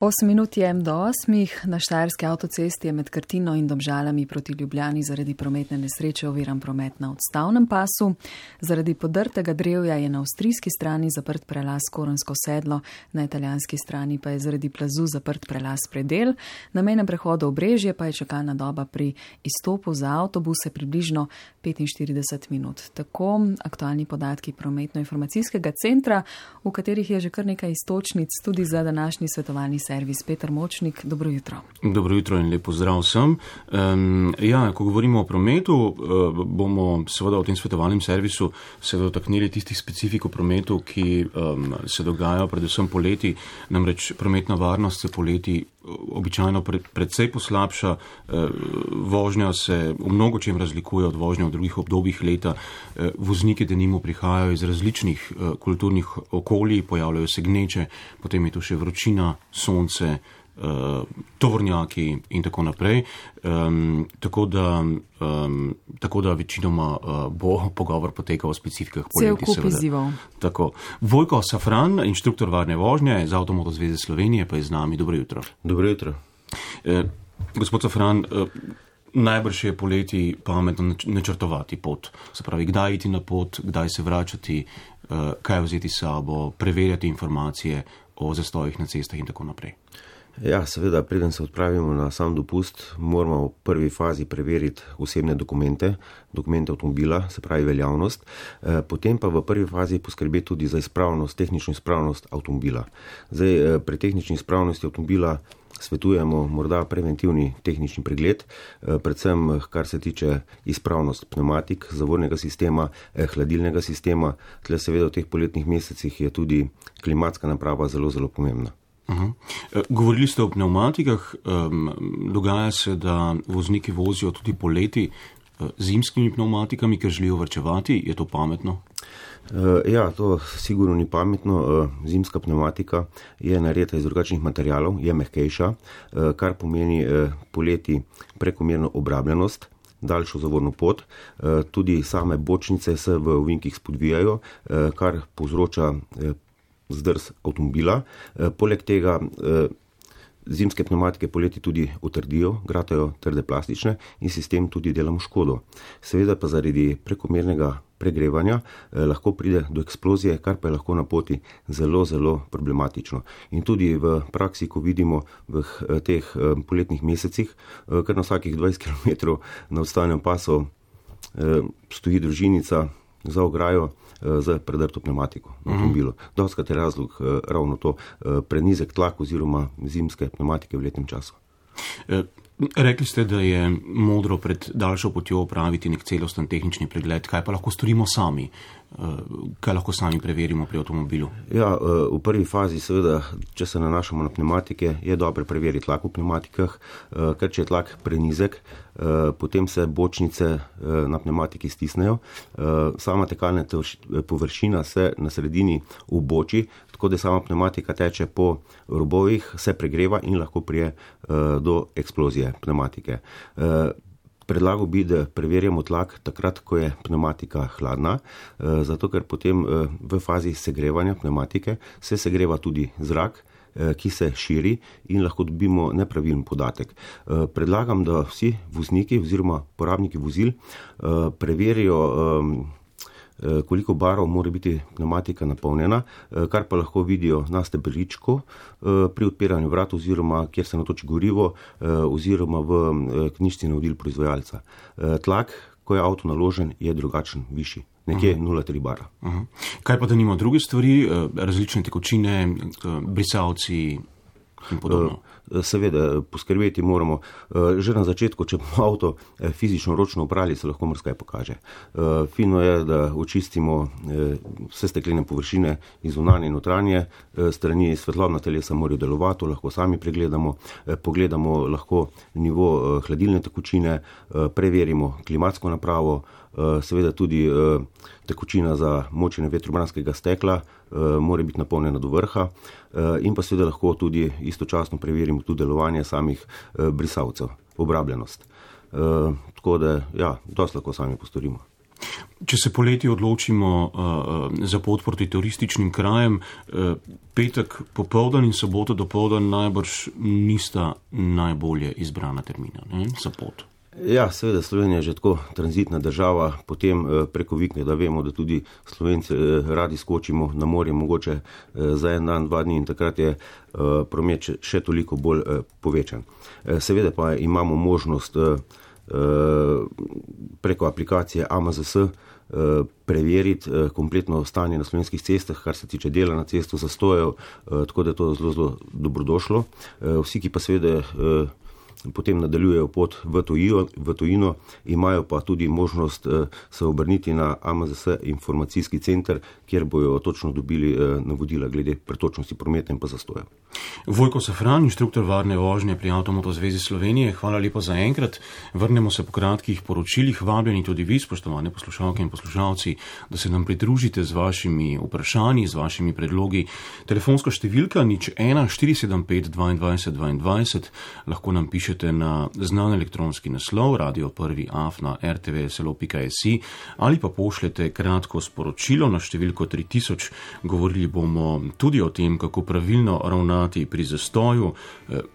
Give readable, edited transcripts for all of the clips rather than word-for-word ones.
8 minut je do 8. Na Štajerski avtocesti je med Krtino in Domžalami proti Ljubljani zaradi prometne nesreče oviran promet na odstavnem pasu. Zaradi podrtega drevja je na avstrijski strani zaprt prelaz Korensko sedlo, na italijanski strani pa je zaradi plazu zaprt prelaz Predel. Na mejnem prehodu Obrežje pa je čakalna doba pri izstopu za avtobuse približno 45 minut. Tako aktualni podatki prometno-informacijskega centra, v katerih je že kar nekaj iztočnic tudi za današnji svetovalni servis. Peter Močnik, dobro jutro. Dobro jutro in lepo zdrav vsem. Ko govorimo o prometu, bomo seveda v tem svetovalnem servisu se dotaknili tistih specifik v prometu, ki se dogajajo predvsem poleti. Namreč prometna varnost se poleti običajno predvsej poslabša. Vožnja se v mnogo čem razlikuje od vožnje v drugih obdobjih leta. Vozniki denimo prihajajo iz različnih kulturnih okolij, pojavljajo se gneče, potem je tu še vročina, sonce, tovornjaki in tako naprej. Tako da večinoma bo pogovor potekal o specifikah poleti. Cel kup izzivov. Tako. Vojko Safran, inštruktor varne vožnje z Avtomoto zveze Slovenije, pa je z nami. Dobro jutro. Dobro jutro. Gospod Safran, najbrž je poleti pametno načrtovati pot. Se pravi, kdaj iti na pot, kdaj se vračati, kaj vzeti s sabo, preverjati informacije o zastojih na cestah in tako naprej. Ja, seveda, preden se odpravimo na sam dopust, moramo v prvi fazi preveriti osebne dokumente avtomobila, se pravi veljavnost, potem pa v prvi fazi poskrbeti tudi za izpravnost, tehnično izpravnost avtomobila. Zdaj, pri tehnični izpravnosti avtomobila svetujemo morda preventivni tehnični pregled, predvsem kar se tiče izpravnost pneumatik, zavornega sistema, hladilnega sistema. Tle seveda v teh poletnih mesecih je tudi klimatska naprava zelo, zelo pomembna. Govorili ste o pneumatikah. Dogaja se, da vozniki vozijo tudi poleti zimskimi pneumatikami, ker želijo varčevati. Je to pametno? Ja, to sigurno ni pametno. Zimska pneumatika je narejena iz drugačnih materialov, je mehkejša, kar pomeni poleti prekomerno obrabljenost, daljšo zavorno pot. Tudi same bočnice se v ovinkih spodvijajo, kar povzroča zdrs avtomobila. Poleg tega zimske pneumatike poleti tudi utrdijo, gratajo trde plastične in si s tem tudi delamo škodo. Seveda pa zaradi prekomernega pregrevanja lahko pride do eksplozije, kar pa je lahko na poti zelo, zelo problematično. In tudi v praksi, ko vidimo v teh poletnih mesecih, kar na vsakih 20 km na odstavnem pasu stoji družinica za ograjo z predrto pneumatiko na avtomobilu. Dostikrat je razlog ravno to, prenizek tlak oziroma zimske pneumatike v letnem času. Rekli ste, da je modro pred daljšo potjo opraviti nek celosten tehnični pregled. Kaj pa lahko storimo sami? Kaj lahko sami preverimo pri avtomobilu? Ja, v prvi fazi seveda, če se nanašamo na pneumatike, je dobro preveriti tlak v pneumatikah, ker če je tlak prenizek, potem se bočnice na pneumatiki stisnejo. Sama tekalna površina se na sredini uboči, tako da sama pneumatika teče po robovih, se pregreva in lahko prije do eksplozije pneumatike. Predlagal bi, da preverjamo tlak takrat, ko je pneumatika hladna, zato ker potem v fazi segrevanja pneumatike se segreva tudi zrak, ki se širi in lahko dobimo nepravilen podatek. Predlagam, da vsi vozniki oziroma porabniki vozil preverijo, koliko barov mora biti pneumatika napolnjena, kar pa lahko vidijo na stebričku pri odpiranju vrat oziroma kjer se natoči gorivo oziroma v knjižici navodil proizvajalca. Tlak, ko je avto naložen, je drugačen, višji, nekje 0,3 bara. Kaj pa da nima druge stvari, različne tekočine, brisalci in podobno? Seveda, poskrbeti moramo. Že na začetku, če bomo avto fizično ročno oprali, se lahko marsikaj pokaže. Fino je, da očistimo vse steklene površine iz zunanje in notranje strani. Svetlobna telesa morajo delovati, lahko sami pregledamo, pogledamo lahko nivo hladilne tekočine, preverimo klimatsko napravo, seveda tudi tekočina za močenje vetrobranskega stekla mora biti napolnjena do vrha in pa seveda lahko tudi istočasno preverimo tudi delovanje samih brisalcev, obrabljenost. Tako da, ja, dosti lahko sami postorimo. Če se poleti odločimo za pot proti turističnim krajem, petek popoldan in sobota dopoldan najbrž nista najbolje izbrana termina, ne, za pot. Ja, seveda Slovenija je že tako tranzitna država, potem preko vikenda vemo, da tudi Slovenci radi skočimo na morje, mogoče za en dan, 2 dni in takrat je promet še toliko bolj povečan. Seveda pa imamo možnost preko aplikacije AMZS preveriti kompletno stanje na slovenskih cestah, kar se tiče dela na cestu, zastojev, tako da je to zelo, zelo dobrodošlo. Vsi, ki pa seveda potem nadaljujejo pot v tujino, imajo pa tudi možnost se obrniti na AMZS informacijski center, kjer bojo točno dobili navodila glede pretočnosti prometa in pa zastoja. Vojko Safran, inštruktor varne vožnje pri Avtomoto zvezi Slovenije, hvala lepo za enkrat. Vrnemo se po kratkih poročilih, vabljeni tudi vi, spoštovane poslušalke in poslušalci, da se nam pridružite z vašimi vprašanji, z vašimi predlogi. Telefonska številka 01 475 22 22, lahko nam pišete na znan elektronski naslov radio1@rtvslo.si ali pa pošljete kratko sporočilo na številko 3000. Govorili bomo tudi o tem, kako pravilno ravnati pri zastoju,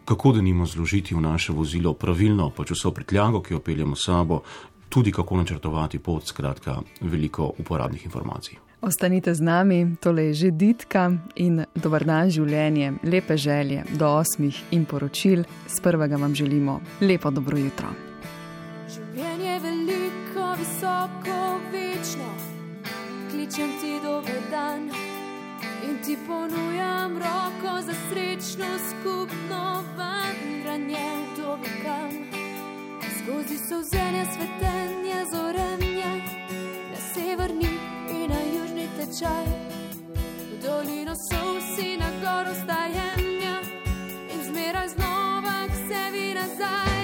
kako denimo zložiti v naše vozilo pravilno, pač vso prtljago, ki jo peljemo s sabo, tudi kako načrtovati pot, skratka veliko uporabnih informacij. Ostanite z nami, tole je že Ditka in dober dan življenje, lepe želje do 8 in poročil. Z prvega vam želimo lepo dobro jutro. Življenje veliko, visoko, večno, kličem ti dober dan in ti ponujam roko za srečno skupno vandranje v dobikam. Skozi solzenja, svetenja, zorenja, na severni in na južni tečaj, v dolino solsi, na goro stajenja in zmeraj znova k sebi nazaj.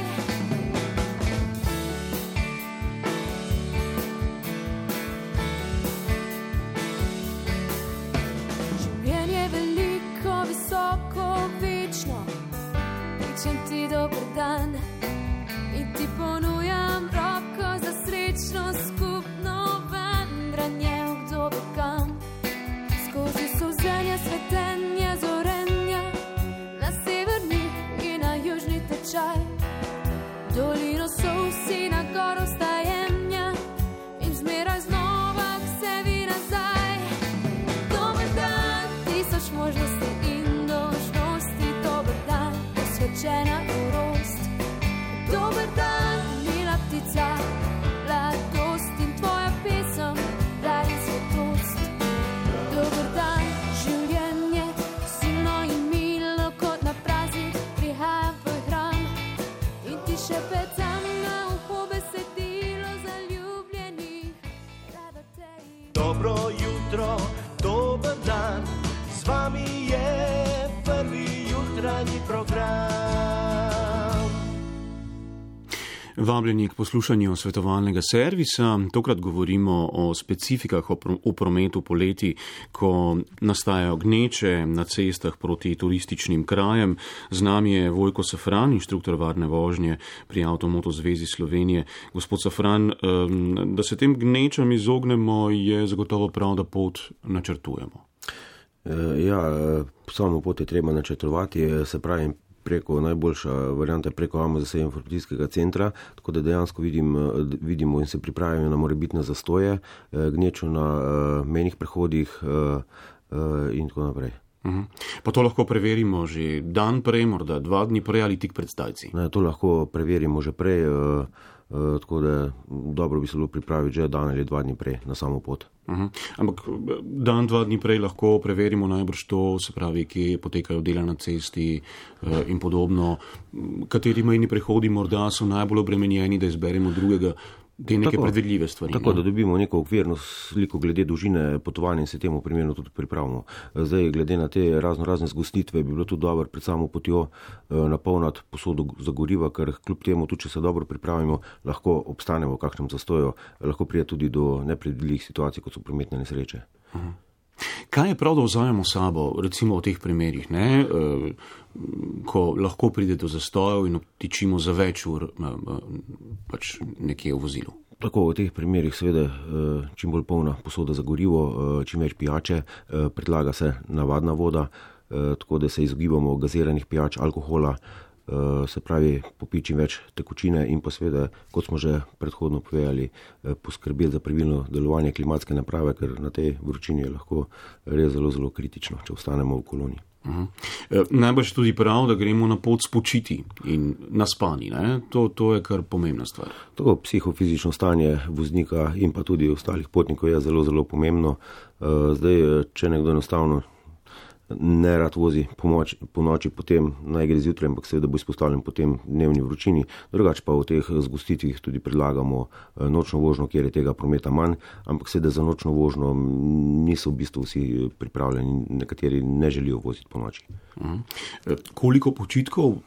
Življenje veliko, visoko, večno, kličem ti dober dan in ti ponujam roko za srečno skupno vandranje v kdo kam. Skozi solzenja, svetenja, zorenja, na severni in na južni tečaj, dolino solsi, na goro stajenja in zmeraj znova k sebi nazaj. Dober dan, 1000 možnosti in dolžnosti, dober dan, posvečena norost. Dober dan, mila ptica, mladost in tvoja pesem, raj in svetost. Dober dan, življenje, silno in milo, kot na praznik prihajam v tvoj hram in ti še petam na uho besedilo zaljubljenih, rada te imam. Dobro jutro, dober dan, z vami je prvi jutranji program. Vabljeni k poslušanju svetovalnega servisa. Tokrat govorimo o specifikah v prometu poleti, ko nastajajo gneče na cestah proti turističnim krajem. Z nami je Vojko Safran, inštruktor varne vožnje pri Avtomoto zvezi Slovenije. Gospod Safran, da se tem gnečam izognemo, je zagotovo prav, da pot načrtujemo. Ja, samo pot je treba načrtovati, se pravi, najboljša varianta je preko AMZS informacijskega centra, tako da dejansko vidimo in se pripravimo na morebitne zastoje, gnečo na mejnih prehodih in tako naprej. Pa to lahko preverimo že dan prej, morda 2 dni prej ali tik pred zdajci? To lahko preverimo že prej, tako da dobro bi se bilo pripraviti že dan ali 2 dni prej na samo pot. Ampak dan, 2 dni prej lahko preverimo najbrž to, se pravi, kje potekajo dela na cesti in podobno, kateri mejni prehodi morda so najbolj obremenjeni, da izberemo drugega, te neke predvidljive stvari. Tako, da dobimo neko okvirno sliko glede dolžine potovanja in se temu primerno tudi pripravimo. Zdaj, glede na te razne zgostitve, bi bilo tudi dobro pred samo potjo napolniti posodo za goriva, ker kljub temu, tudi če se dobro pripravimo, lahko obstanemo v kakšnem zastoju, lahko pride tudi do nepredvidljivih situacij, kot so prometne nesreče. Kaj je prav, da vzajemo sabo, recimo v teh primerih, ne? Ko lahko pride do zastojev in obtičimo za več ur pač nekje v vozilu? Tako v teh primerih seveda čim bolj polna posoda za gorivo, čim več pijače, predlaga se navadna voda, tako da se izogibamo gaziranih pijač, alkohola, se pravi popiti čim več tekočine in pa seveda, kot smo že predhodno povedali, poskrbeti za pravilno delovanje klimatske naprave, ker na tej vročini je lahko res zelo, zelo kritično, če ostanemo v koloniji. Najbrž tudi prav, da gremo na pot spočiti in naspani, ne? To je kar pomembna stvar. To psihofizično stanje voznika in pa tudi ostalih potnikov je zelo, zelo pomembno. Zdaj, če nekdo enostavno ne rad vozi po noči, potem naj gre zjutraj, ampak seveda bo izpostavljen potem dnevni vročini. Drugače pa v teh zgostitvih tudi predlagamo nočno vožnjo, kjer je tega prometa manj, ampak seveda za nočno vožnjo niso v bistvu vsi pripravljeni, nekateri ne želijo voziti po noči. Koliko počitkov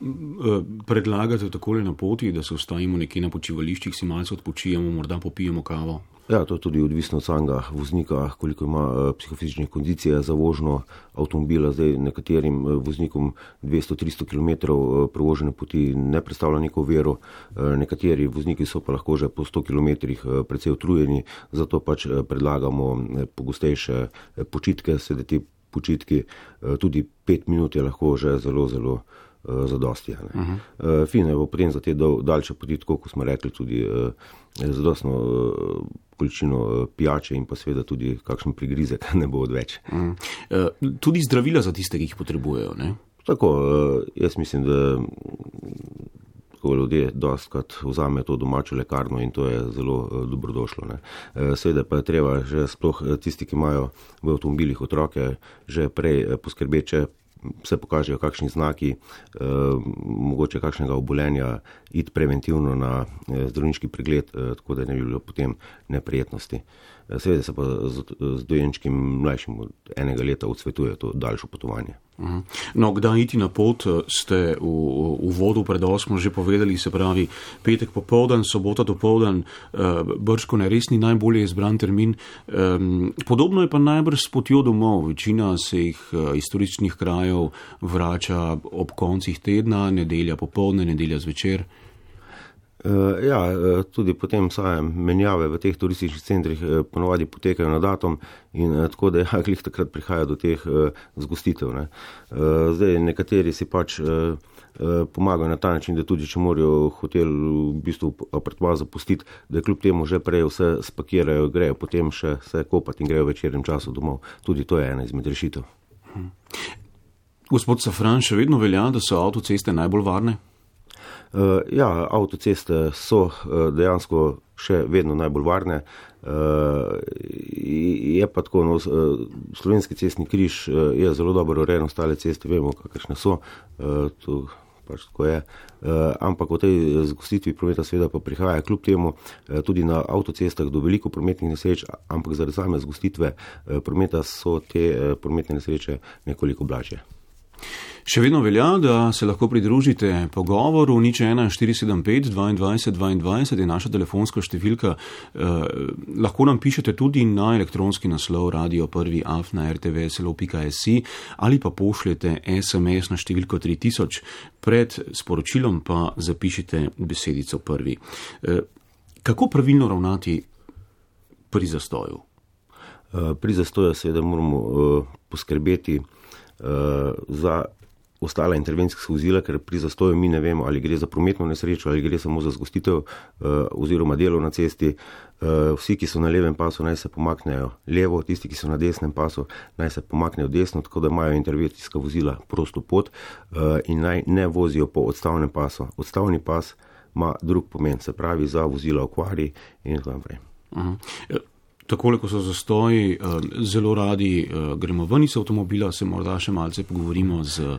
predlagate takole na poti, da se ustavimo nekje na počivališčih, si malce odpočijemo, morda popijemo kavo? Ja, to je tudi odvisno od samega voznika, koliko ima psihofizične kondicije za vožnjo avtomobila. Zdaj nekaterim voznikom 200-300 km prevožene poti ne predstavlja neko oviro, nekateri vozniki so pa lahko že po 100 km precej utrujeni, zato pač predlagamo pogostejše počitke, sedaj ti počitki, tudi 5 minut je lahko že zelo, zelo zadosti. Fino je potem za te daljše poti, tako kot smo rekli, tudi zadostno količino pijače in pa seveda tudi kakšen prigrizek ne bo odveč. Tudi zdravila za tiste, ki jih potrebujejo, ne? Tako, jaz mislim, da ljudje dostkrat vzame to domačo lekarno in to je zelo dobrodošlo, ne. Seveda pa je treba že sploh tisti, ki imajo v avtomobilih otroke, že prej poskrbeti, če se pokažejo kakšni znaki, mogoče kakšnega obolenja, iti preventivno na zdravniški pregled, tako da ne bi bilo potem neprijetnosti. Seveda se pa z dojenčkim mlajšim od 1 leta odsvetuje to daljšo potovanje. No, kdaj iti na pot, ste v uvodu pred 8 že povedali, se pravi petek popoldan, sobota dopoldan, bržko ne res ni najbolje izbran termin. Podobno je pa najbrž s potjo domov. Večina se jih iz turističnih krajev vrača ob koncih tedna, nedelja popoldne, nedelja zvečer. Ja, tudi potem same menjave v teh turističnih centrih ponovadi potekajo na datum in tako da glih takrat prihaja do teh zgostitev, ne. Zdaj nekateri si pač pomagajo na ta način, da tudi če morajo hotel v bistvu apartma zapustiti, da kljub temu že prej vse spakirajo, grejo potem še se kopati in grejo v večernem času domov. Tudi to je ena izmed rešitev. Gospod Safran, še vedno velja, da so avtoceste najbolj varne? Ja, avtoceste so dejansko še vedno najbolj varne. Je pa tako, no, Slovenski cestni križ je zelo dobro urejen, ostale ceste vemo, kakršne so, to pač tako je. Ampak v tej zgostitvi prometa seveda pa prihaja kljub temu tudi na avtocestah do veliko prometnih nesreč, ampak zaradi same zgostitve prometa so te prometne nesreče nekoliko blažje. Še vedno velja, da se lahko pridružite pogovoru 01475 22 22 je naša telefonska številka. Lahko nam pišete tudi na elektronski naslov radio1@rtvslo.si ali pa pošljete SMS na številko 3000. Pred sporočilom pa zapišite besedico prvi. Kako pravilno ravnati pri zastoju? Pri zastoju seveda moramo poskrbeti za ostala intervencijska vozila, ker pri zastoju mi ne vemo, ali gre za prometno nesrečo, ali gre samo za zgostitev oziroma delo na cesti. Vsi, ki so na levem pasu, naj se pomaknejo levo, tisti, ki so na desnem pasu, naj se pomaknejo desno, tako da imajo intervencijska vozila prosto pot in naj ne vozijo po odstavnem pasu. Odstavni pas ima drug pomen, se pravi za vozila okvari in tako naprej. Takole, ko so zastoji, zelo radi gremo ven iz avtomobila, se morda še malce pogovorimo z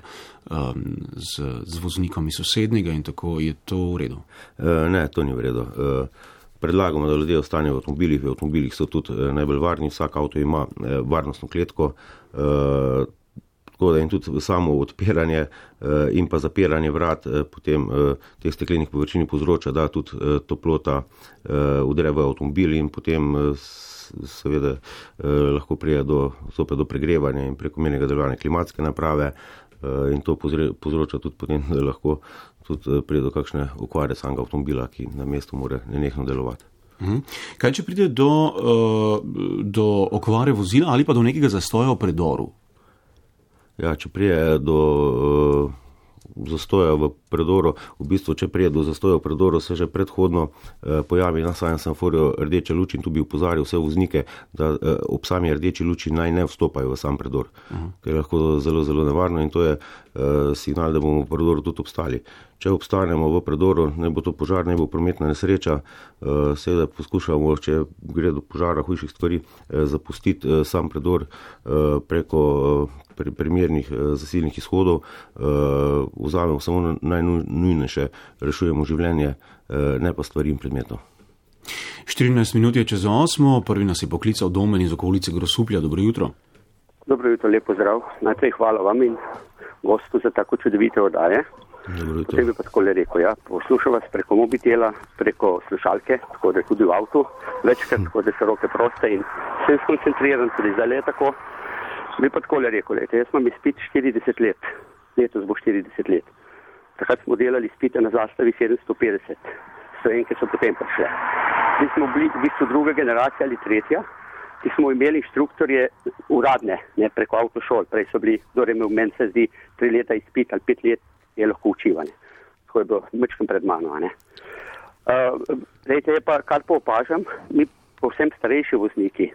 voznikom iz sosednjega in tako, je to v redu? Ne, to ni v redu. Predlagamo, da ljudje ostanejo v avtomobilih. V avtomobilih so tudi najbolj varni, vsak avto ima varnostno kletko, tako da in tudi samo odpiranje in pa zapiranje vrat potem teh steklenih površin povzroča, da tudi toplota vdre v avtomobil in potem seveda lahko pride zopet do pregrevanja in prekomernega delovanja klimatske naprave in to povzroča tudi potem, da lahko tudi pride do kakšne okvare samega avtomobila, ki na mestu mora nenehno delovati. Kaj, če pride do okvare vozila ali pa do nekega zastoja v predoru? Ja, če pride do zastoja v predoru, v bistvu, če prije do zastoja v predoru, se že predhodno pojavi na samem semaforju rdeča luč in tu bi upozoril vse voznike, da ob sami rdeči luči naj ne vstopajo v sam predor, ker je lahko zelo, zelo nevarno in to je signal, da bomo v predoru tudi obstali. Če obstanemo v predoru, ne bo to požar, ne bo prometna nesreča, seveda poskušamo, če gre do požara hujših stvari, zapustiti sam predor preko primernih zasilnih izhodov, vzamemo samo najnujnejše, rešujemo življenje, ne pa stvari in predmetov. 14 minut je čez 8, prvi nas je poklical Domen iz okolice Grosuplja. Dobro jutro. Dobro jutro, lepo zdrav. Najprej hvala vam in gostu za tako čudovite oddaje. Potem bi pa takole rekel, ja, poslušam vas preko mobitela, preko slušalke, tako da tudi v avtu, večkrat, tako da so roke proste in sem skoncentriran, tudi zdaj je tako. Bi pa takole rekel, jaz imam izpit 40 let, letos bo 40 let. Takrat smo delali izpite na zastavi 750, Slovenke so potem prišle. Mi smo bili v bistvu druga generacija ali tretja, ki smo imeli inštruktorje uradne, ne preko avtošol, prej so bili, kdo je imel meni se zdi 3 leta izpit ali 5 let, je lahko učivanje. Tako je bilo mečkem pred mano. Lejte, je pa, kar pa opažam, mi povsem starejši vozniki,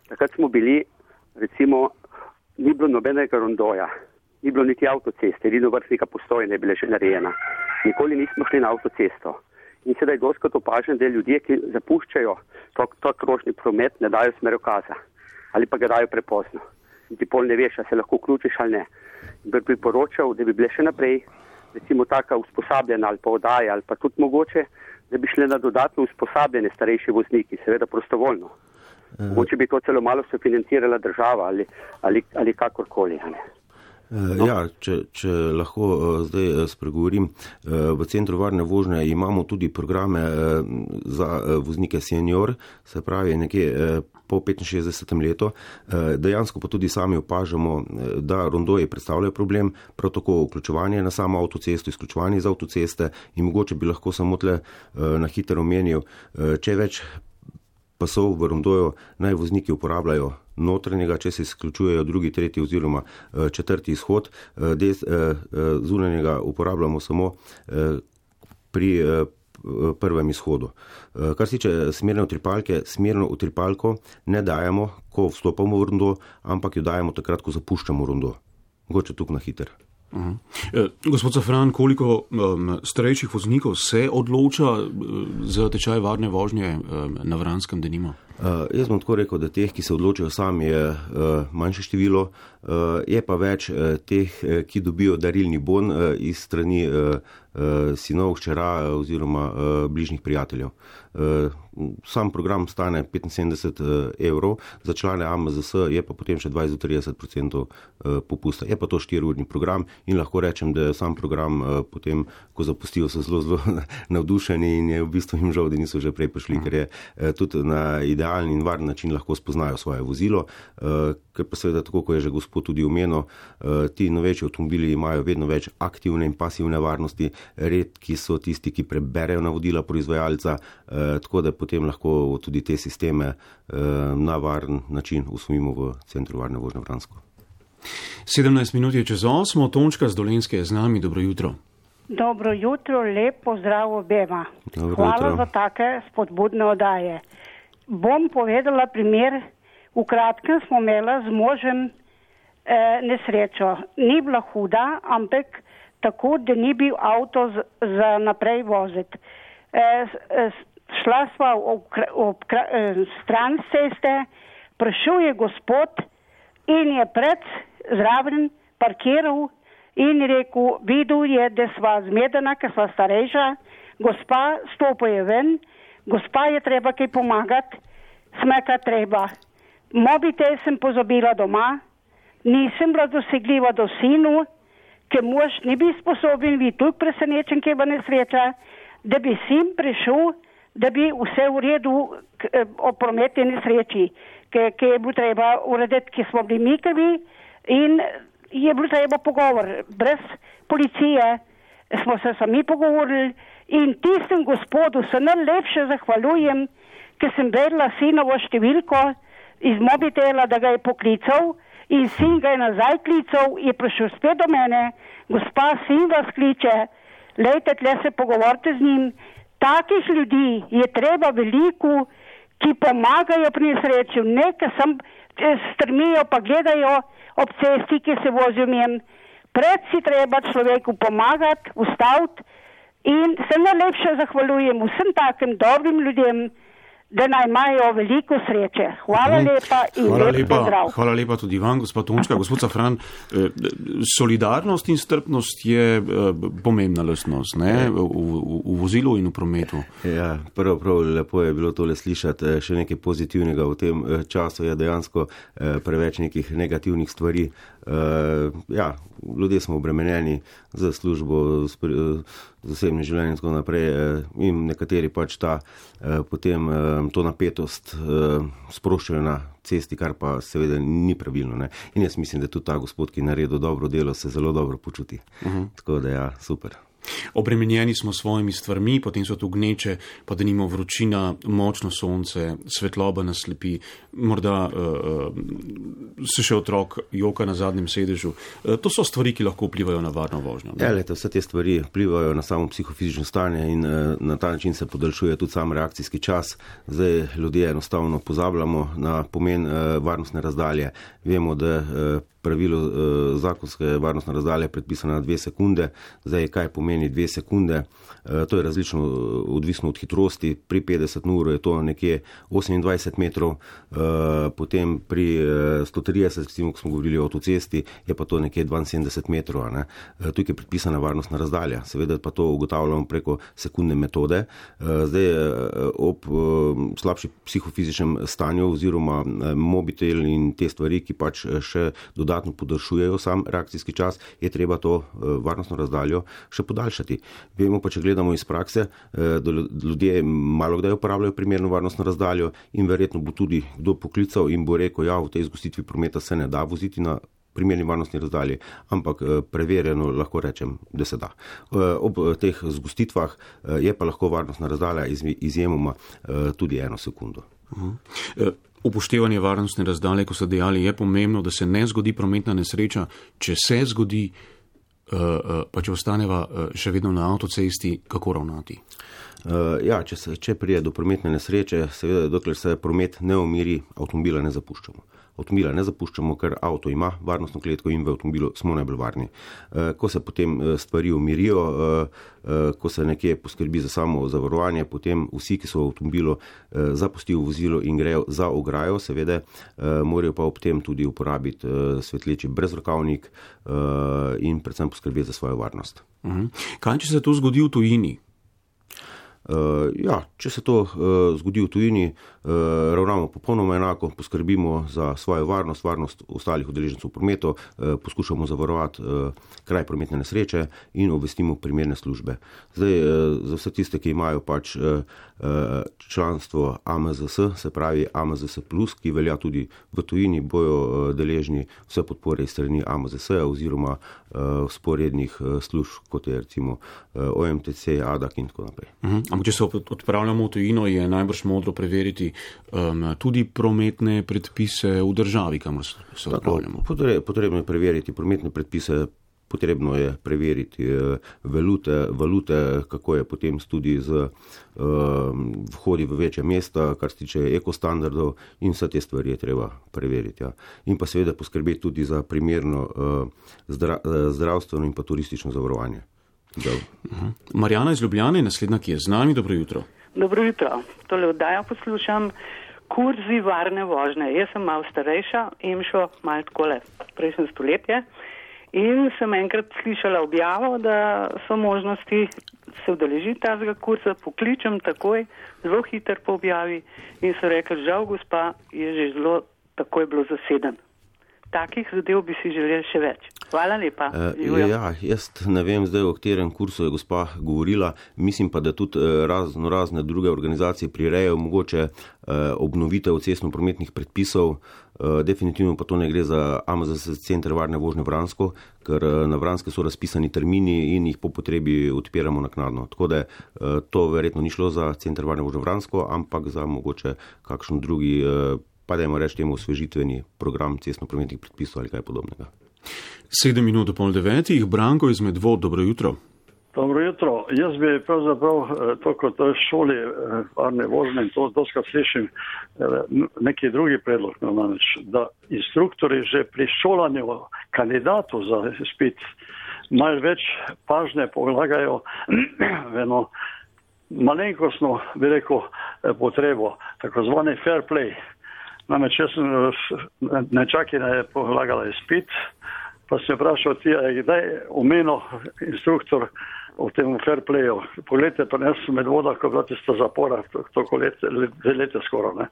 takrat smo bili, recimo, ni bilo nobenega rondoja, ni bilo niti avtoceste, edino vrstnika postojne je bila že narejena. Nikoli nismo šli na avtocesto. In sedaj doskrat opažam, da ljudje, ki zapuščajo to krožni promet, ne dajo smerokaza ali pa ga dajo prepozno. In ti pol ne veš, a se lahko vključiš ali ne. Bi priporočal, da bi bile še naprej, recimo taka usposabljena ali pa oddaja ali pa tudi mogoče, da bi šle na dodatno usposabljene starejši vozniki, seveda prostovoljno. Mogoče bi to celo malo sofinancirala država ali kakorkoli. Ja, če lahko zdaj spregovorim, v Centru varne vožnje imamo tudi programe za voznike senior, se pravi nekje po 65. letu. Dejansko pa tudi sami opažamo, da rondoji predstavljajo problem, prav tako vključevanje na samo avtocesto, izključevanje iz avtoceste in mogoče bi lahko samo tle na hitro omenil, če več pasov v rondoju naj vozniki uporabljajo notranjega, če se izključujejo drugi, tretji oziroma četrti izhod, zunanjega uporabljamo samo pri prvem izhodu. Kar se tiče smerne utripalke, smerno utripalko ne dajemo, ko vstopamo v rondo, ampak jo dajemo takrat, ko zapuščamo rondo. Mogoče tukaj na hiter. Gospod Safran, koliko starejših voznikov se odloča za tečaj varne vožnje na Vranskem, denimo? Jaz bom tako rekel, da teh, ki se odločijo sami, je manjše število, je pa več teh, ki dobijo darilni bon iz strani sinov, hčera oziroma bližnjih prijateljev. Sam program stane 75 €, za člane AMZS je pa potem še 20-30% popusta. Je pa to 4-urni program in lahko rečem, da sam program potem, ko zapustijo, so zelo, zelo navdušeni in je v bistvu jim žal, da niso že prej prišli, ker je tudi na idealni in varen način lahko spoznajo svoje vozilo, ker pa seveda tako, ko je že gospod tudi omenil, ti novejši avtomobili imajo vedno več aktivne in pasivne varnosti, redki so tisti, ki preberejo navodila proizvajalca, tako da potem lahko tudi te sisteme na varen način usvojimo v Centru varne vožnje Vransko. 17 minut je čez 8, Tončka z Dolenjske je z nami, dobro jutro. Dobro jutro, lep pozdrav obema. Dobro jutro. Hvala za take spodbudne oddaje. Bom povedala primer, v kratkem smo imela z možem nesrečo. Ni bila huda, ampak tako, da ni bil avto za naprej voziti. Šla sva ob stran ceste, prišel je gospod in je pred zraven parkiral in rekel, videl je, da sva zmedena, ker sva starejša, gospa stopa je ven, gospa je treba kaj pomagati, smeka treba. Mobitel sem pozabila doma, nisem bila dosegljiva do sinu, ker mož ni bil sposoben, vi tudi presenečen, kaj bo nesreča, da bi sin prišel, da bi vse v redu o prometni nesreči, ki je bilo treba urediti, ki smo bili mikavi in je bilo treba pogovor. Brez policije smo se sami pogovorili In tistem gospodu se najlepše zahvaljujem, ker sem vedela sinovo številko iz mobitela, da ga je poklical in sin ga je nazaj klical, je prišel spet do mene, gospa, sin vas kliče, lejte, tle se pogovorite z njim. Takih ljudi je treba veliko, ki pomagajo pri nesreči, nekaj sem strmijo pa gledajo ob cesti, ki se vozijo mjem. Pred si treba človeku pomagati, ustaviti in se najlepše zahvaljujem vsem takim dobrim ljudem, da naj imajo veliko sreče. Hvala lepa in lep pozdrav. Hvala lepa tudi vam, gospod Tončka. Gospod Safran, solidarnost in strpnost je pomembna lastnost, ne? V vozilu in v prometu. Ja, prav lepo je bilo tole slišati. Še nekaj pozitivnega v tem času je dejansko preveč nekih negativnih stvari. Ja, ljudje smo obremenjeni za službo, z osebnim življenjem in tako naprej in nekateri pač potem to napetost sproščajo na cesti, kar pa seveda ni pravilno. Ne? In jaz mislim, da tudi ta gospod, ki je naredil dobro delo, se zelo dobro počuti. Tako da ja, super. Obremenjeni smo svojimi stvarmi, potem so tu gneče, pa da nimo vročina, močno sonce, svetloba nas slepi, morda se še otrok joka na zadnjem sedežu. To so stvari, ki lahko vplivajo na varno vožnjo. Ja, lete, vse te stvari vplivajo na samo psihofizično stanje in na ta način se podaljšuje tudi sam reakcijski čas. Zdaj ljudje enostavno pozabljamo na pomen varnostne razdalje. Vemo, da pravilo zakonske varnostne razdalje je predpisano na 2 sekunde. Zdaj, kaj pomeni 2 sekunde? To je različno odvisno od hitrosti. Pri 50 na uro je to nekje 28 metrov, potem pri 130, ko smo govorili o avtocesti, je pa to nekje 72 metrov. Ne? Tukaj je predpisana varnostna razdalja. Seveda pa to ugotavljamo preko sekundne metode. Zdaj, ob slabši psihofizičnem stanju oziroma mobitel in te stvari, ki pač še dodatno podaljšujejo sam reakcijski čas, je treba to varnostno razdaljo še podaljšati. Vemo pa, če gledamo iz prakse, da ljudje malo kdaj uporabljajo primerno varnostno razdaljo in verjetno bo tudi kdo poklical in bo rekel, ja, v tej zgostitvi prometa se ne da voziti na primerni varnostni razdalji, ampak preverjeno lahko rečem, da se da. Ob teh zgostitvah je pa lahko varnostna razdalja izjemoma tudi 1 sekundo. Upoštevanje varnostne razdalje, ko so dejali, je pomembno, da se ne zgodi prometna nesreča, če se zgodi, pa če ostaneva še vedno na avtocesti, kako ravnati? Ja, če prije do prometne nesreče, seveda, dokler se promet ne umiri, avtomobila ne zapuščamo. Avtomobila ne zapuščamo, ker avto ima varnostno kletko in v avtomobilu smo najbolj varni. Ko se potem stvari umirijo, ko se nekje poskrbi za samo zavarovanje, potem vsi, ki so v avtomobilu, zapustijo vozilo in grejo za ograjo, seveda, morajo pa ob tem tudi uporabiti svetleči brezrokavnik in predvsem poskrbeti za svojo varnost. Kaj, če se to zgodi v tujini? Ja, če se to zgodi v tujini, ravnamo popolnoma enako, poskrbimo za svojo varnost, varnost ostalih udeležencev v prometu, poskušamo zavarovati kraj prometne nesreče in obvestimo primerne službe. Zdaj, za vse tiste, ki imajo pač članstvo AMZS, se pravi AMZS+, ki velja tudi v tujini, bojo deležni vse podpore iz strani AMZS oziroma sporednih služb, kot je recimo OMTC, ADAK in tako naprej. Ampak če se odpravljamo v tujino, je najbrž modro preveriti tudi prometne predpise v državi, kamor se odpravljamo. Potrebno je preveriti prometne predpise, potrebno je preveriti valute, kako je potem tudi z vhodi v večja mesta, kar se tiče ekostandardov in vse te stvari je treba preveriti. Ja. In pa seveda poskrbeti tudi za primerno zdravstveno in pa turistično zavarovanje. Marjana iz Ljubljane, naslednja, ki je z nami. Dobro jutro. Dobro jutro. Tole oddajo poslušam, kurzi varne vožnje. Jaz sem malo starejša, imšo malo takole prejšnje stoletje in sem enkrat slišala objavo, da so možnosti se udeležiti tazga kursa, pokličem takoj, zelo hiter po objavi in so rekli, žal gospa, je že zelo takoj bilo zaseden. Takih zadev bi si želeli še več. Hvala lepa. Ja, jaz ne vem zdaj, o katerem kursu je gospa govorila. Mislim pa, da tudi razne druge organizacije prirejajo mogoče obnovitev cestno-prometnih predpisov. Definitivno pa to ne gre za AMZS center varne vožnje Vransko, ker na Vranske so razpisani termini in jih po potrebi odpiramo naknadno. Tako da to verjetno ni šlo za center varne vožnje Vransko, ampak za mogoče kakšen drugi, pa dajmo reči temu osvežitveni program cestno-prometnih predpisov ali kaj podobnega. 7:08, Branko iz Medvod, dobro jutro. Dobro jutro. Jaz bi pravzaprav to kot šoli varne vožnje in to doskrat slišim neki drugi predlog, namreč, da instruktori že pri šolanju kandidatov za izpit malo več pažnje polagajo v eno malenkostno, bi rekel, potrebo, tako zvani fair play. Namreč, jaz sem nečakina je polagala izpit, pa sem vprašal ti, kdaj omenil instruktor v tem fair playu. Poglejte, pa jaz sem Medvoda, ko bila tista zapora, toliko leta skoraj, ne.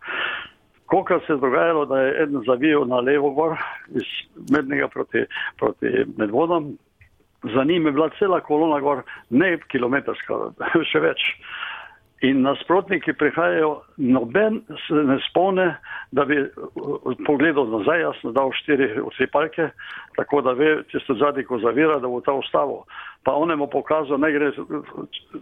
Kolikor se je dogajalo, da je eden zavijal na levo gor iz Mednega proti Medvodom, za njim je bila cela kolona gor, ne kilometrska, še več. In nasprotniki prihajajo, noben se ne spomne, da bi pogledal nazaj, jaz sem dal 4 utripalke, tako da ve, tisto zadnji, ko zavira, da bo ta ustavil. Pa on je mu pokazal, ne gre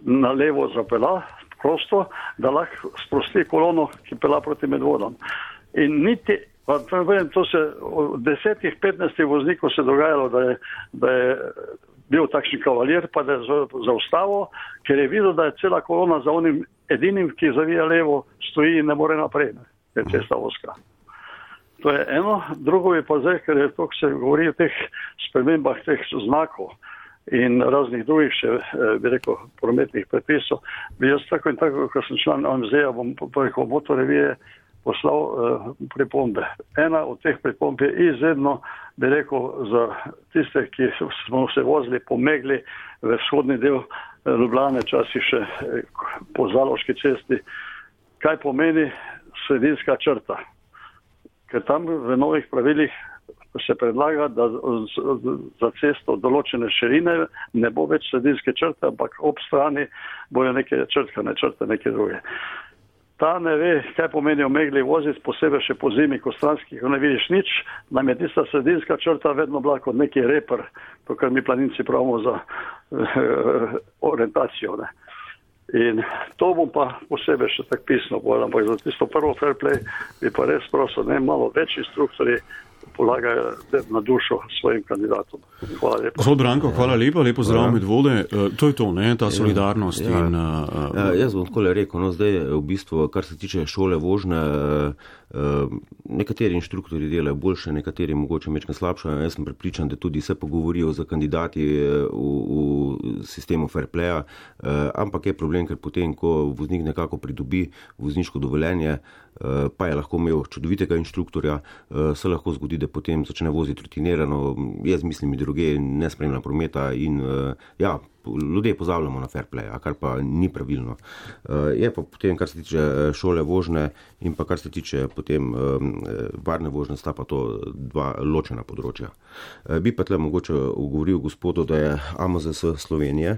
na levo zapela, prosto, da lahko sprosti kolono, ki pela proti Medvodom. In niti, to se od 10-15 voznikov se dogajalo, da je bil takšen kavalir, pa da je zaustavil, ker je videl, da je cela kolona za onim edinim, ki zavija levo, stoji in ne more naprej, je cesta oska. To je eno. Drugo je pa zdaj, ker je to, ko se govori o teh spremembah teh znakov in raznih drugih še, bi rekel, prometnih predpisov, bi jaz tako in tako, ko sem član AMZ-ja, bom preko motorevije poslal pripombe. Ena od teh pripomb je izredno, bi rekel, za tiste, ki smo se vozili po megli v vzhodni del Ljubljane, časi še po Zaloški cesti, kaj pomeni sredinska črta. Ker tam v novih pravilih se predlaga, da za cesto določene širine ne bo več sredinske črte, ampak ob strani bojo neke črtkane črte, neke druge. Ta ne ve, kaj pomeni v megli voziti, posebej še po zimi, ko stranskih ne vidiš nič, nam je tista sredinska črta vedno bila kot neki reper, to, kar mi planinci pravimo za orientacijo. Ne. In to bom pa posebej še tak pisno povedal, ampak za tisto prvo fair play bi pa res prosil, ne, malo več instruktorji polagajo na dušo svojim kandidatom. Hvala lepa. Gospod Branko, hvala lepa, lepo zdrav Medvode. To je to, ne, ta solidarnost. Ja. Jaz bom tako rekel, no zdaj v bistvu, kar se tiče šole vožnje, nekateri inštruktori delajo boljše, nekateri mogoče mečkaj slabše. Jaz sem prepričan, da tudi se pogovorijo z kandidati v sistemu fair playa, ampak je problem, ker potem, ko voznik nekako pridobi vozniško dovoljenje, pa je lahko imel čudovitega inštruktorja, se lahko zgodi, da potem začne voziti rutinirano, jaz mislim druge, ne spremlja prometa in ja, ljudje pozabljamo na fair play, kar pa ni pravilno. Je pa potem, kar se tiče šole vožnje in pa kar se tiče potem varne vožnje, sta pa to dva ločena področja. Bi pa tle mogoče ugovoril gospodu, da je AMZS Slovenije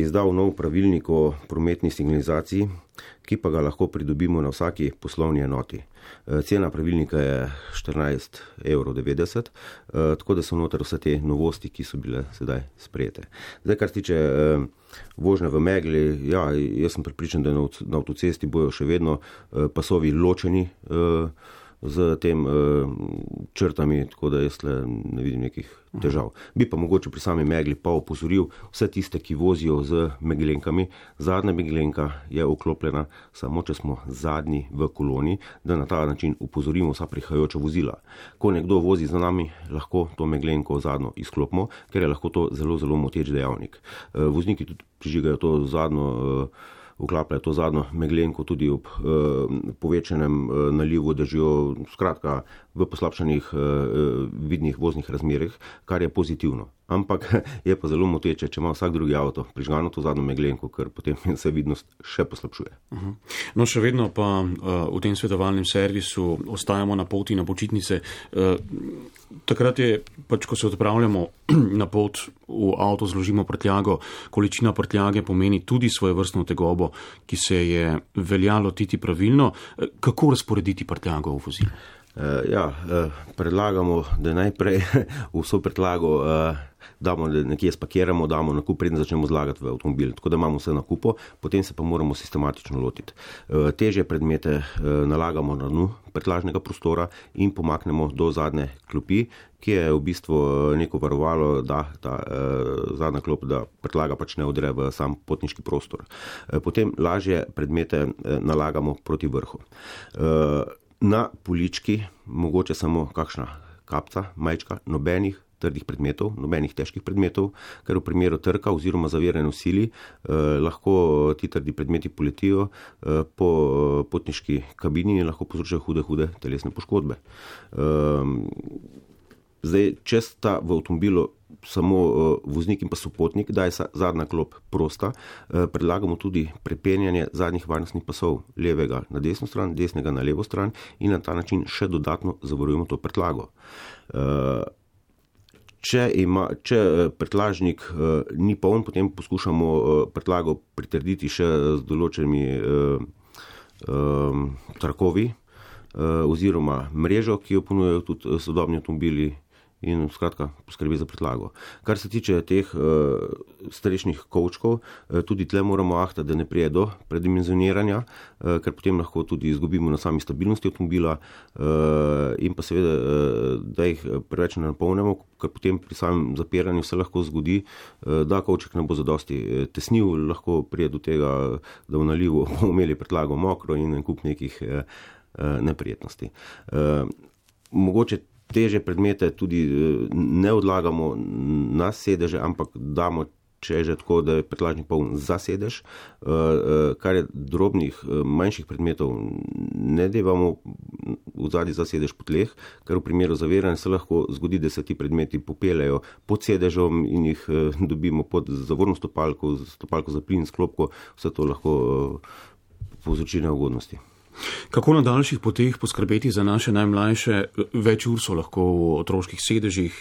izdal nov pravilnik o prometni signalizaciji, ki pa ga lahko pridobimo na vsaki poslovni enoti. Cena pravilnika je 14,90 €, tako da so noter vse te novosti, ki so bile sedaj sprejete. Zdaj, kar se tiče vožnje v megli, ja, jaz sem prepričan, da na avtocesti bojo še vedno pasovi ločeni z tem črtami, tako da jaz ne vidim nekih težav. Bi pa mogoče pri sami megli pa opozoril vse tiste, ki vozijo z meglenkami. Zadnja meglenka je vklopljena samo, če smo zadnji v koloni, da na ta način upozorimo vsa prihajajoča vozila. Ko nekdo vozi za nami, lahko to meglenko zadnjo izklopimo, ker je lahko to zelo, zelo moteč dejavnik. Vozniki tudi prižigajo to zadnjo, vklapljajo to zadnjo meglenko tudi ob povečanem nalivu dežja, skratka v poslabšanih vidnih voznih razmerah, kar je pozitivno. Ampak je pa zelo moteče, če ima vsak drugi avto prižgano to zadnjo meglenko, ker potem se vidnost še poslabšuje. No, še vedno pa v tem svetovalnem servisu ostajamo na poti na počitnice. Takrat je, pač ko se odpravljamo na pot v avto, zložimo prtljago, količina prtljage pomeni tudi svojevrstno tegobo, ki se je veljalo lotiti pravilno. Kako razporediti prtljago v vozilu? Predlagamo, da najprej vso predlago damo nekje spakiramo, damo na kup, preden začnemo zlagati v avtomobil. Tako da imamo vse na kupu, potem se pa moramo sistematično lotiti. Težje predmete nalagamo na dnu prtljažnega prostora in pomaknemo do zadnje klopi, ki je v bistvu neko varovalo, da ta zadnja klop, da prtljaga pač ne odre v sam potniški prostor. Potem lažje predmete nalagamo proti vrhu. Na polički mogoče samo kakšna kapca, majčka, nobenih trdih predmetov, nobenih težkih predmetov, ker v primeru trka oziroma zaviranja v sili lahko ti trdi predmeti poletijo po potniški kabini in lahko povzročajo hude telesne poškodbe. Zdaj, če sta v avtomobilu samo voznik in pa sopotnik, da je zadnja klop prosta, predlagamo tudi prepenjanje zadnjih varnostnih pasov, levega na desno stran, desnega na levo stran in na ta način še dodatno zavarujemo to prtljago. Če prtljažnik ni poln, potem poskušamo prtljago pritrditi še z določenimi trakovi oziroma mrežo, ki jo ponujajo tudi sodobni avtomobili in skratka poskrbi za prtljago. Kar se tiče teh strešnih kovčkov, tudi tle moramo ahtati, da ne prije do predimenzioniranja, ker potem lahko tudi izgubimo na sami stabilnosti avtomobila in pa seveda, da jih preveč ne napolnimo, ker potem pri samem zapiranju se lahko zgodi, da kovček ne bo zadosti tesnil, lahko prije do tega, da v nalivu bomo imeli prtljago mokro in en kup nekih neprijetnosti. Mogoče teže predmete tudi ne odlagamo na sedeže, ampak damo, če je že tako, da je prtljažnik poln za sedež, kar je drobnih, manjših predmetov ne devamo vzadi za sedež po tleh, ker v primeru zaviranja se lahko zgodi, da se ti predmeti popeljajo pod sedežom in jih dobimo pod zavorno stopalko za plin, sklopko, vse to lahko povzroči neugodnosti. Kako na daljših poteh poskrbeti za naše najmlajše? Več ur so lahko v otroških sedežih,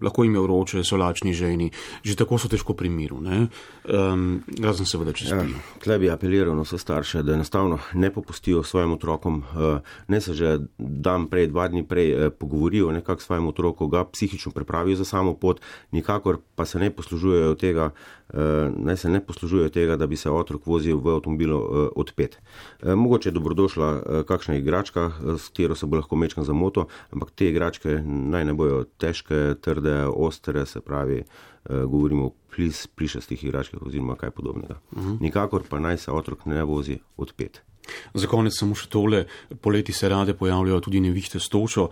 lahko jim je vroče, so lačni ženi, že tako so težko pri miru, ne? Razen seveda, če spijo. Tle bi apeliral na vse starše, da enostavno ne popustijo svojim otrokom, ne se že dan prej, 2 dni prej pogovorijo nekako svojim otrokom, ga psihično pripravijo za samo pot, nikakor pa se ne poslužujejo tega, da bi se otrok vozil v avtomobilu odpet. Mogoče je dobrodošla kakšna igračka, s katero se bo lahko mečkan zamoto, ampak te igračke naj ne bojo težke, trde, ostre, se pravi, govorimo o plišastih igračkah oziroma kaj podobnega. Nikakor pa naj se otrok ne vozi odpet. Za konec samo še tole, poleti se rade pojavljajo tudi nevihte s točo.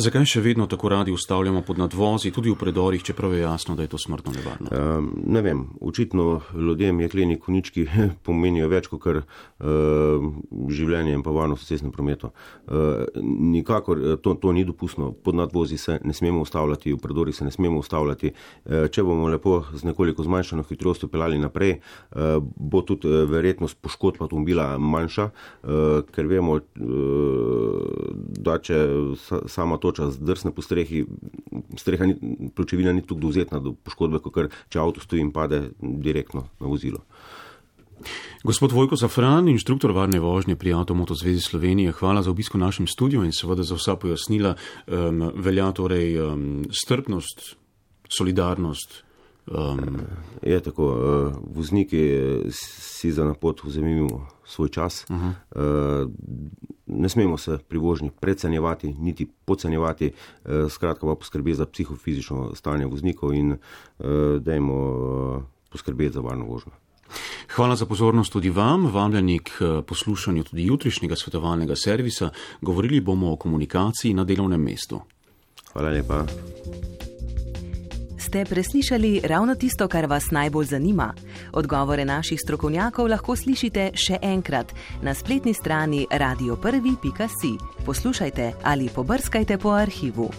Zakaj še vedno tako radi ustavljamo pod nadvozi, tudi v predorih, čeprav je jasno, da je to smrtno nevarno? Ne vem, očitno ljudem jekleni konički pomenijo več kot kar življenje in pa varnost v cestnem prometu. Nikakor to ni dopustno, pod nadvozi se ne smemo ustavljati, v predorih se ne smemo ustavljati. Če bomo lepo z nekoliko zmanjšano hitrostjo peljali naprej, bo tudi verjetnost poškodb avtomobila manjša, ker vemo, da če sama toča zdrsne po strehi, pločevina ni tako dovzetna do poškodbe, kot če avto stoji in pade direktno na vozilo. Gospod Vojko Zafran, inštruktor varne vožnje pri Avtomoto zvezi Slovenije, hvala za obisko v našem studiu in seveda za vsa pojasnila. Velja torej strpnost, solidarnost. Je tako, vozniki si za na pot vzemimo svoj čas. Ne smemo se pri vožnji precenjevati, niti podcenjevati, skratka pa poskrbeti za psihofizično stanje voznikov in dajmo poskrbeti za varno vožnjo. Hvala za pozornost tudi vam, vabljeni k poslušanju tudi jutrišnjega svetovalnega servisa. Govorili bomo o komunikaciji na delovnem mestu. Hvala lepa. Ste preslišali ravno tisto, kar vas najbolj zanima? Odgovore naših strokovnjakov lahko slišite še enkrat na spletni strani radio1.si. Poslušajte ali pobrskajte po arhivu.